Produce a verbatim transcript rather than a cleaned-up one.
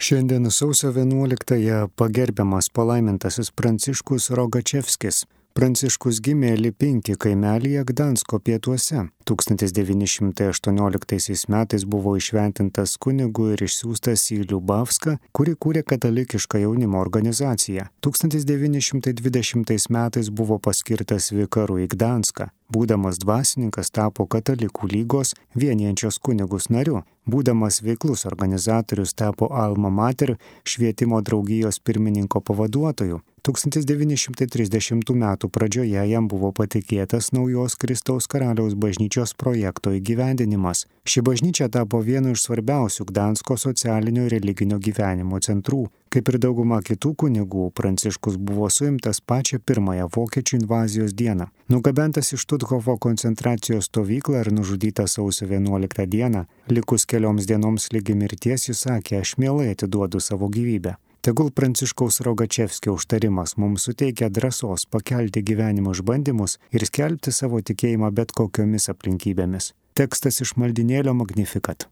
Šiandien sausio vienuoliktąją pagerbiamas palaimintasis Pranciškus Rogačevskis. Pranciškus gimė Lipinki kaimelyje Gdansko pietuose. tūkstantis devyni šimtai aštuonioliktaisiais metais buvo įšventintas kunigu ir išsiųstas į Liubavską, kuri kūrė katalikišką jaunimo organizaciją. tūkstantis devyni šimtai dvidešimtais metais buvo paskirtas vikaru į Gdanską. Būdamas dvasininkas tapo Katalikų lygos vienijančios kunigus nariu. Būdamas veiklus organizatorius tapo Alma Mater švietimo draugijos pirmininko pavaduotoju. tūkstantis devyni šimtai trisdešimtų metų pradžioje jam buvo patikėtas naujos Kristaus karaliaus bažnyčios projekto įgyvendinimas. Ši bažnyčia tapo vienu iš svarbiausių Gdansko socialinio ir religinio gyvenimo centrų. Kaip ir dauguma kitų kunigų, Pranciškus buvo suimtas pačią pirmąją vokiečių invazijos dieną. Nugabentas iš Štuthofo koncentracijos stovyklą ir nužudytas sausio vienuoliktą dieną, likus kelioms dienoms lygi mirties jis sakė: "Aš mielai atiduodu savo gyvybę." Tegul Pranciškaus Rogačevskio užtarimas mums suteikia drąsos pakelti gyvenimo išbandymus ir skelbti savo tikėjimą bet kokiomis aplinkybėmis. Tekstas iš maldynėlio Magnificat.